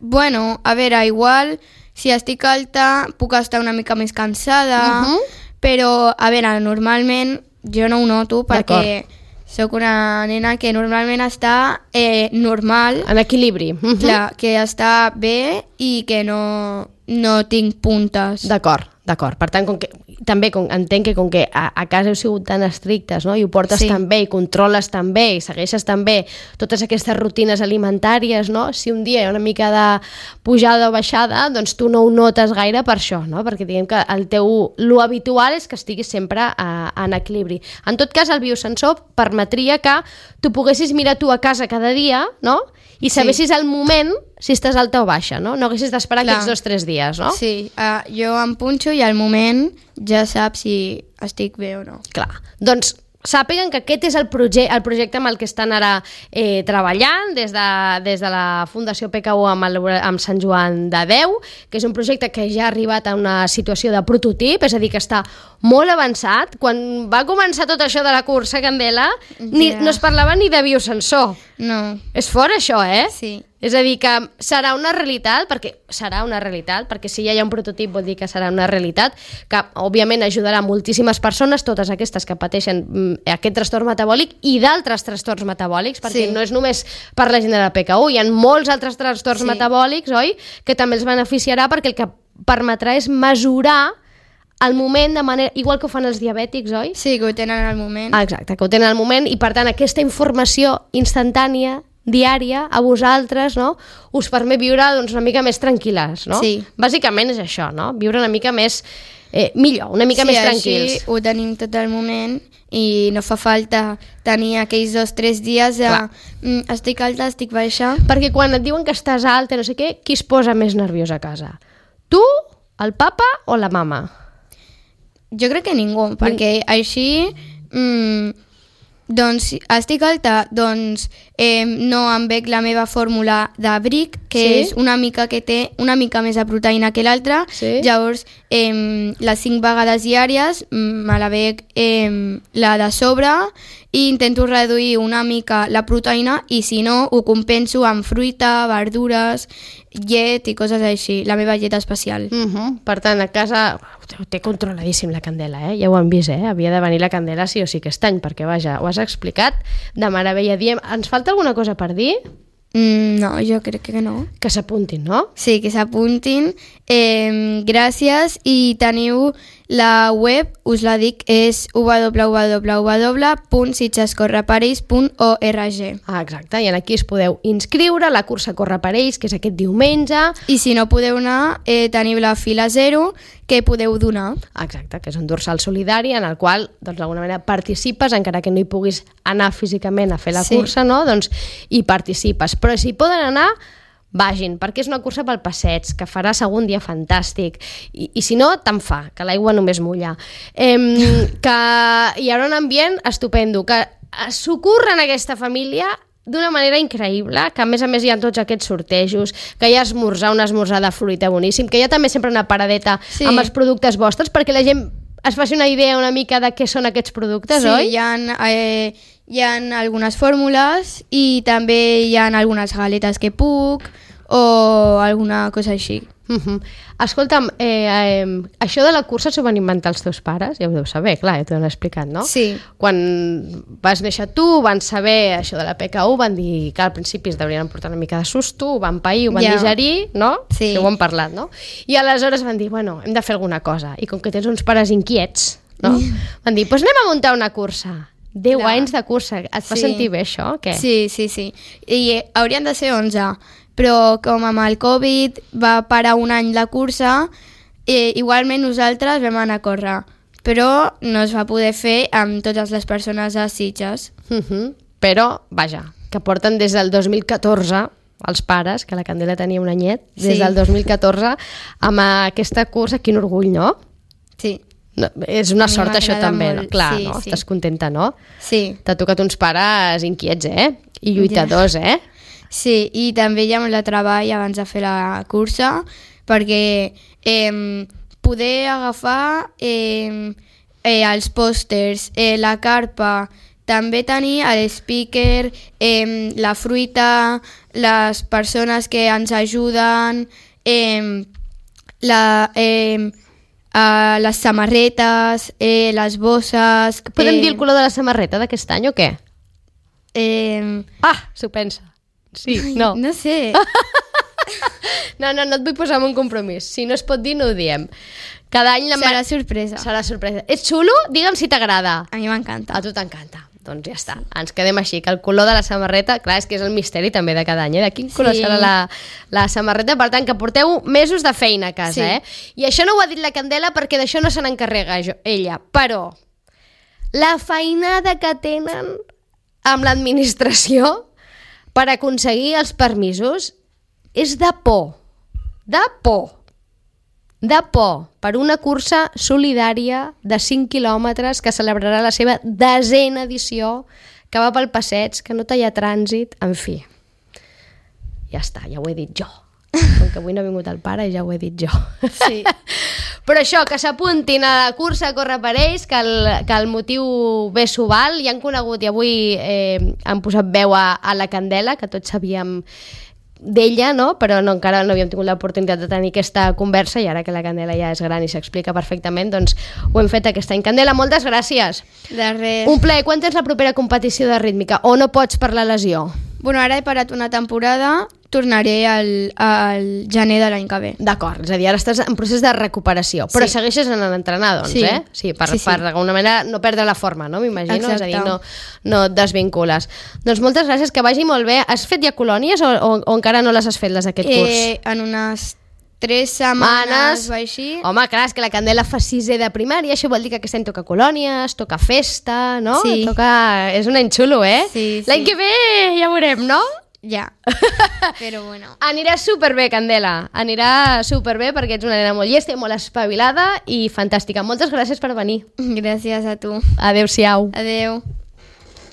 S3: Bueno, a veure, igual, si estic alta, puc estar una mica més cansada, uh-huh. però, a veure, normalment jo no ho noto perquè sóc una nena que normalment està eh, normal.
S2: En equilibri. Uh-huh.
S3: Clar, que està bé i que no, no tinc puntes.
S2: D'acord, d'acord. Per tant, com que, també com, entenc que com que a, a casa heu sigut tan estrictes, no? I ho portes
S3: sí.
S2: tan bé, i controles tan bé, i segueixes tan bé totes aquestes rutines alimentàries, no? Si un dia hi ha una mica de pujada o baixada, doncs tu no ho notes gaire per això, no? Perquè diguem que el teu, lo habitual és que estiguis sempre a, en equilibri. En tot cas, el biosensor permetria que tu poguessis mirar tu a casa cada dia, no? I sabessis sí. el moment si estàs alta o baixa, no? No haguessis d'esperar aquests dos o tres dies, no?
S3: Sí, uh, jo em punxo i al moment ja saps si estic bé o no.
S2: Clar, doncs sàpiguen que aquest és el, proje el projecte amb el que estan ara eh, treballant des de, des de la Fundació P K U amb, el, amb Sant Joan de Déu, que és un projecte que ja ha arribat a una situació de prototip, és a dir, que està molt avançat. Quan va començar tot això de la cursa, Candela, ni, yeah. no es parlava ni de biosensor.
S3: No.
S2: És fort això, eh?
S3: Sí.
S2: És a dir, que serà una realitat, perquè serà una realitat, perquè si ja hi ha un prototip vol dir que serà una realitat, que òbviament ajudarà moltíssimes persones, totes aquestes que pateixen mm, aquest trastorn metabòlic i d'altres trastorns metabòlics, perquè sí. no és només per la gent de la P K U, hi ha molts altres trastorns sí. metabòlics, oi?, que també els beneficiarà, perquè el que permetrà és mesurar al moment de manera... Igual que ho fan els diabètics, oi?
S3: Sí, que ho tenen al moment.
S2: Ah, exacte, que ho tenen al moment, i per tant aquesta informació instantània diària a vosaltres, no? Us permet viure doncs, una mica més tranquil·les, no?
S3: Sí.
S2: Bàsicament és això, no? Viure una mica més eh, millor, una mica
S3: sí,
S2: més tranquils.
S3: Sí, ho tenim tot el moment i no fa falta tenir aquells dos o tres dies de mm, estic alta, estic baixa.
S2: Perquè quan et diuen que estàs alta, no sé què, qui es posa més nerviós a casa? Tu, el papa o la mama?
S3: Jo crec que ningú, perquè així... Mm, doncs estic alta, doncs eh, no em bec la meva fórmula de Bric, que sí? és una mica que té una mica més de proteïna que l'altra,
S2: sí?
S3: llavors eh, les cinc vegades diàries me la bec eh, la de sobre i intento reduir una mica la proteïna i si no ho compenso amb fruita, verdures, llet i coses així, la meva llet especial.
S2: Uh-huh. Per tant, a casa ho té controladíssim la Candela, eh? Ja ho han vist, eh? Havia de venir la Candela sí o sí aquest any, perquè vaja, ho has explicat de meravella. Diem, ens falta alguna cosa per dir?
S3: Mm, no, jo crec que no.
S2: Que s'apuntin, no?
S3: Sí, que s'apuntin. Eh, gràcies, i teniu la web, us la dic, és w w w punt sitgescorreparells punt org.
S2: Ah, exacte, i aquí es podeu inscriure a la cursa Corre per Ells, que és aquest diumenge.
S3: I si no podeu anar, eh, teniu la fila zero, que podeu donar.
S2: Exacte, que és un dorsal solidari en el qual, doncs, d'alguna manera participes, encara que no hi puguis anar físicament a fer la
S3: sí.
S2: cursa, no? Doncs hi participes. Però si poden anar, vagin, perquè és una cursa pel passeig, que farà segon dia fantàstic, i, i si no, tant fa, que l'aigua només mulla. Eh, que hi haurà un ambient estupendo, que s'ocorren aquesta família d'una manera increïble, que a més a més hi ha tots aquests sortejos, que hi ha esmorzar, un esmorzar de fruita boníssim, que hi ha també sempre una paradeta sí. amb els productes vostres, perquè la gent es faci una idea una mica de què són aquests productes,
S3: sí,
S2: oi?
S3: Sí, hi ha, eh, hi ha algunes fórmules i també hi ha algunes galetes que puc o alguna cosa així.
S2: Uh-huh. Escolta'm, eh, eh, això de la cursa s'ho van inventar els teus pares? Ja ho deus saber, clar, ja t'ho han explicat, no?
S3: Sí.
S2: Quan vas néixer tu, van saber això de la P K U, van dir que al principi es deurien portar una mica de susto, ho van pair, ho van
S3: ja.
S2: digerir, no?
S3: Sí.
S2: Sí, ho han parlat, no? I aleshores van dir, bueno, hem de fer alguna cosa. I com que tens uns pares inquiets, no? Van dir, doncs anem a muntar una cursa. deu clar. Anys de cursa. Et fa
S3: sí.
S2: sentir bé això o què?
S3: Sí, sí, sí. I eh, haurien de ser onze. Però com amb el Covid va parar un any la cursa, eh, igualment nosaltres vam anar a córrer, però no es va poder fer amb totes les persones a Sitges.
S2: Uh-huh. Però, vaja, que porten des del dos mil catorze, els pares, que la Candela tenia un anyet, des
S3: sí.
S2: del dos mil catorze, amb aquesta cursa, quin orgull, no?
S3: Sí.
S2: No, és una sort això també, no? Clar,
S3: sí,
S2: no?
S3: Sí.
S2: Estàs contenta, no?
S3: Sí.
S2: T'ha tocat uns pares inquiets, eh? I lluitadors, eh?
S3: Sí, i també hi ha molt de treball abans de fer la cursa, perquè eh, poder agafar eh, eh, els pòsters, eh, la carpa, també tenir l'speaker, eh, la fruita, les persones que ens ajuden, eh, la, eh, eh, les samarretes, eh, les bosses...
S2: Podem
S3: eh,
S2: dir el color de la samarreta d'aquest any o què?
S3: Eh,
S2: Ah, s'ho pensa. Sí, no.
S3: no sé.
S2: No, no, no et vull posar en un compromís. Si no es pot dir, no ho diem. Cada any... La
S3: Serà sorpresa.
S2: Serà sorpresa. És xulo? Digue'm si t'agrada.
S3: A mi m'encanta.
S2: A tu t'encanta. Doncs ja està. Ens quedem així, que el color de la samarreta, clar, és que és el misteri també de cada any, eh? De quin color
S3: Sí.
S2: serà la, la samarreta. Per tant, que porteu mesos de feina a casa,
S3: Sí.
S2: eh? I això no ho ha dit la Candela perquè d'això no se n'encarrega jo- ella. Però la feinada que tenen amb l'administració per aconseguir els permisos és de por. De por. De por per una cursa solidària de cinc quilòmetres que celebrarà la seva desena edició, que va pel passeig, que no talla trànsit, en fi. Ja està, ja ho he dit jo. Com que avui no ha vingut el pare, ja ho he dit jo.
S3: Sí.
S2: Però això, que s'apuntin a la cursa a córrer per ells, que el, que el motiu bé s'ho val, i han conegut, i avui eh, han posat veu a, a la Candela, que tots sabíem d'ella, no? Però no, encara no havíem tingut l'oportunitat de tenir aquesta conversa, i ara que la Candela ja és gran i s'explica perfectament, doncs ho hem fet aquest any. Candela, moltes gràcies.
S3: De res.
S2: Un plaer. Quan tens la propera competició de rítmica? O no pots per la lesió?
S3: Bueno, ara he parat una temporada, tornaré al, al gener de l'any que ve.
S2: D'acord, és a dir, ara estàs en procés de recuperació, però
S3: Sí.
S2: segueixes anant a entrenar, doncs,
S3: Sí.
S2: eh? Sí, per,
S3: Sí, sí.
S2: per d'alguna manera no perdre la forma, no? M'imagino, és a dir,
S3: Exacte.
S2: no, no et desvincules. Doncs moltes gràcies, que vagi molt bé. Has fet ja colònies o, o, o encara no les has fet, les d'aquest curs?
S3: Eh, en unes tres setmanes o així.
S2: Home, clar, és que la Candela fa sisè de primària, això vol dir que aquest any toca colònies, toca festa, no?
S3: Sí.
S2: Toca... És un any xulo, eh?
S3: Sí, sí.
S2: L'any que ve ja veurem, no?
S3: Ja. Però bueno.
S2: Anirà superbé, Candela. Anirà superbé perquè ets una nena molt llesta i molt espavilada i fantàstica. Moltes gràcies per venir.
S3: Gràcies a tu.
S2: Adéu-siau.
S3: Adeu.